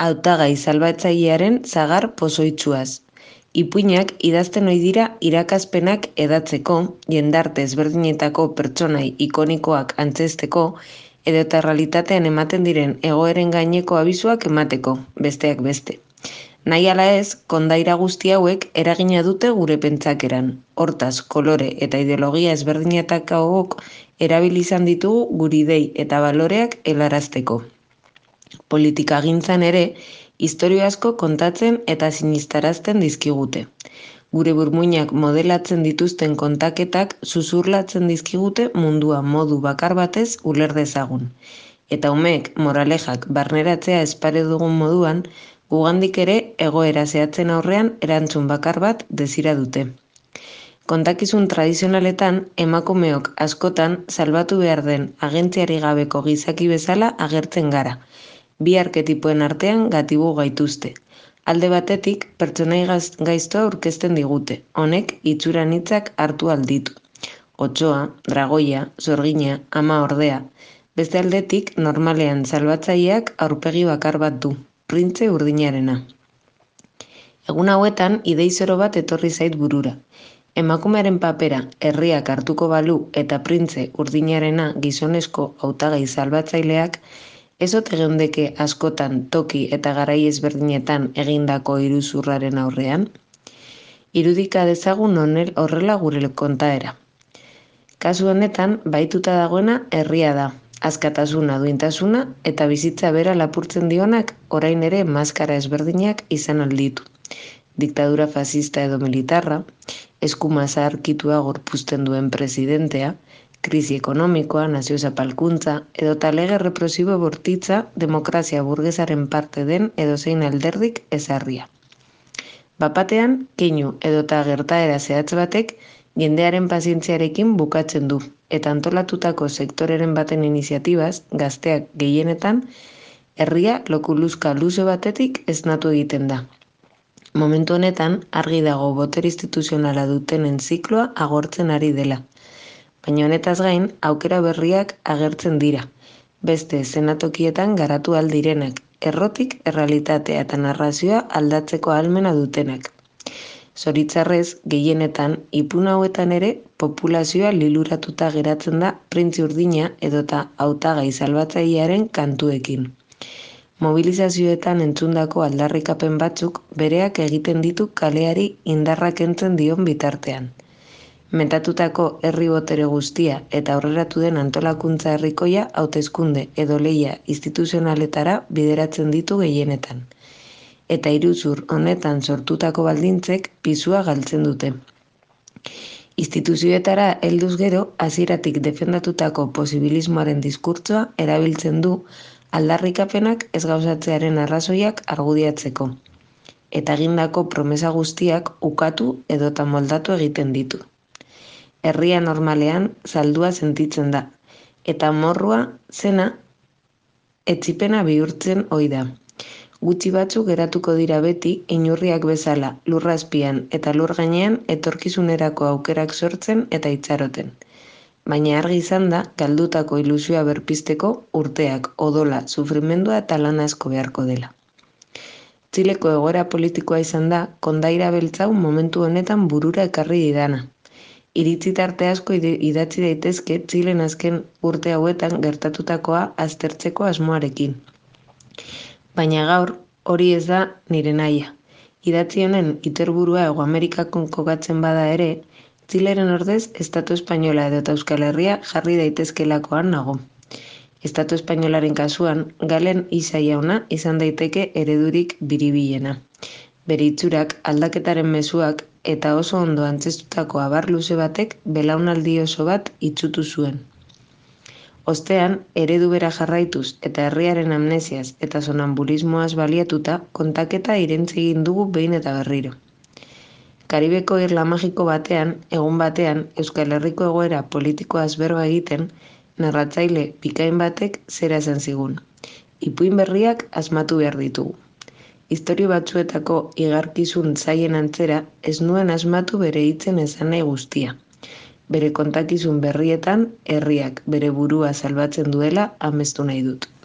Hautagai salbatzailearen zagar pozoitsuaz. Ipuinak idazten ohi dira irakaspenak edatzeko, jendarte ezberdinetako pertsonai ikonikoak antzezteko, edota realitatean ematen diren egoeren gaineko abisuak emateko, besteak beste. Nahi ala ez, kondaira guzti hauek eragina dute gure pentsakeran. Hortaz, kolore eta ideologia ezberdinetakok erabili izan ditugu guri idei eta baloreak helarazteko. Politikagintzan ere, istorio asko kontatzen eta sinistarazten dizkigute. Gure burmuinak modelatzen dituzten kontaketak zuzurlatzen dizkigute mundua modu bakar batez uler dezagun. Eta umeek moralejak barneratzea espare dugun moduan, gugandik ere egoera zehatzen aurrean erantzun bakar bat desira dute. Kontakizun tradizionaletan, emakumeok askotan salbatu behar den agentziari gabeko gizaki bezala agertzen gara. Bi arketipoen artean gatibu gaituzte. Alde batetik, pertsonai gaiztoa aurkezten digute, honek itxura anitzak hartu alditu. Otsoa, dragoia, sorgina, ama ordea. Beste aldetik, normalean salbatzaileak aurpegi bakar bat du, printze urdinarena. Egun hauetan, idei zoro bat etorri zait burura. Emakumearen papera herriak hartuko balu eta printze urdinarena gizonezko hautagai salbatzaileak, ez ote geundeke askotan toki eta garai ezberdinetan egindako iruzurraren aurrean? Irudika dezagun horrela gure kontaera. Kasu honetan, baituta dagoena herria da. Askatasuna, duintasuna eta bizitza bera lapurtzen dionak orain ere maskara ezberdinak izan alditu. Diktadura fascista edo militarra, eskuma zaharkitua gorpuzten duen presidentea, krisi ekonomikoa, nazio zapalkuntza, edota lege represibo bortitza demokrazia burgesaren parte den edozein alderdik ezarria. Bapatean, keinu edota gertaera zehatz batek jendearen pazientziarekin bukatzen du, eta antolatutako sektoreren baten iniziatibaz, gazteak gehienetan, herria lokuluzka luze batetik esnatu egiten da. Momentu honetan, argi dago botere instituzionala dutenen zikloa agortzen ari dela. Baina honetaz gain, aukera berriak agertzen dira. Beste zenatokietan garatu aldirenak, errotik errealitatea eta narrazioa aldatzeko ahalmena dutenak. Zoritzarrez, gehienetan, ipun hauetan ere, populazioa liluratuta geratzen da printzi urdina edota hautagai salbatzailearen kantuekin. Mobilizazioetan entzundako aldarrikapen batzuk bereak egiten ditu kaleari indarra kentzen dion bitartean. Metatutako herri botere guztia eta aurreratu den antolakuntza herrikoia hauteskunde edo lehia instituzionaletara bideratzen ditu gehienetan. Eta iruzur honetan sortutako baldintzek pisua galtzen dute. Instituzioetara helduz gero, hasieratik defendatutako posibilismoaren diskurtsoa erabiltzen du aldarrikapenak ez gauzatzearen arrazoiak argudiatzeko. Eta egindako promesa guztiak ukatu edota moldatu egiten ditu. Herria normalean saldua sentitzen da, eta morrua zena etzipena bihurtzen ohi da. Gutxi batzuk geratuko dira beti inurriak bezala lur azpian eta lur gainean etorkizunerako aukerak sortzen eta itxaroten. Baina argi izan da, galdutako ilusioa berpizteko urteak, odola, sufrimendua eta lan asko beharko dela. Txileko egoera politikoa izan da, kondaira beltzau momentu honetan burura ekarri didana. Iritzi tarte asko idatzi daitezke Txilen azken urte hauetan gertatutakoa aztertzeko asmoarekin. Baina gaur, hori ez da nire nahia. Idatzi honen iterburua Hego Amerikakon kokatzen bada ere, Txileren ordez, Estatu Espainola edota Euskal Herria jarri daitezkelakoan nago. Estatu Espainolaren kasuan, Galen Isa jauna izan daiteke eredurik biribilena. Bere itxurak, aldaketaren mezuak eta oso ondo antzeztutako abar luze batek belaunaldi oso bat itsutu zuen. Ostean, eredu bera jarraituz eta herriaren amnesiaz eta sonambulismoaz baliatuta kontaketa irentzi egin dugu behin eta berriro. Karibeko irla magiko batean, egun batean, Euskal Herriko egoera politikoaz berba egiten, narratzaile bikain batek zera esan zigun. Ipuin berriak asmatu behar ditugu. Istorio batzuetako igarkizun zaien antzera ez nuen asmatu bere hitzen esan nahi guztia. Bere kontakizun berrietan, herriak bere burua salbatzen duela amestu nahi dut.